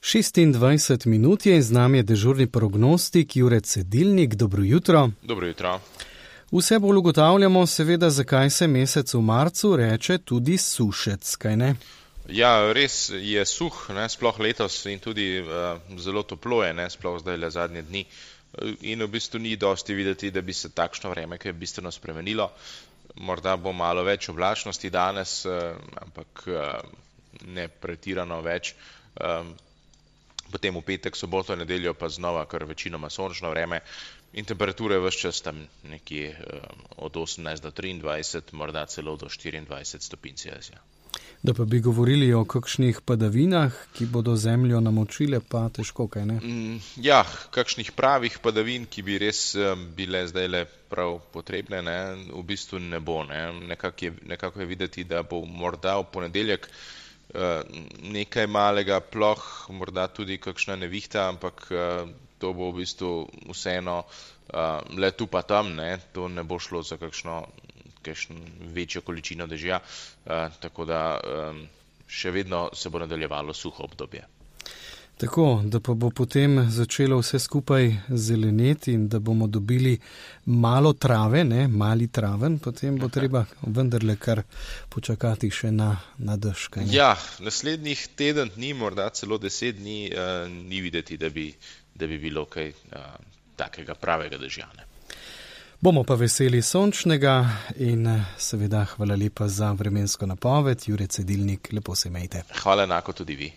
26 minut je in z nami je dežurni prognostik Jure Cedilnik. Dobro jutro. Dobro jutro. Vse bolj ugotavljamo seveda, zakaj se mesec v marcu reče tudi sušec, kaj ne? Ja, res je suh, sploh letos in tudi zelo toplo je, sploh zdaj le zadnje dni. In v bistvu ni dosti videti, da bi se takšno vreme kaj bistveno spremenilo. Morda bo malo več oblačnosti danes, ampak ne pretirano več. Potem v petek, soboto, nedeljo pa znova kar večinoma sončno vreme in temperature ves čas tam nekje od 18 do 23, morda celo do 24 stopinj Celzija. Da pa bi govorili o kakšnih padavinah, ki bodo zemljo namočile, pa težko, kaj ne? Ja, kakšnih pravih padavin, ki bi res bile zdajle prav potrebne, v bistvu ne bo. Nekako je videti, da bo morda v ponedeljek nekaj malega ploh, morda tudi kakšna nevihta, ampak to bo v bistvu vseeno le tu pa tam, to ne bo šlo za kakšno večjo količino dežja, tako da še vedno se bo nadaljevalo suho obdobje. Tako, da pa bo potem začelo vse skupaj zeleneti in da bomo dobili malo trave, mali traven, potem bo treba vendarle kar počakati še na dež. Ja, naslednjih teden dni, morda celo 10 dni, ni videti, da bi bilo kaj takega pravega dežja. Bomo pa veseli sončnega in seveda hvala lepa za vremensko napoved. Jure Cedilnik, lepo se imejte. Hvala enako tudi vi.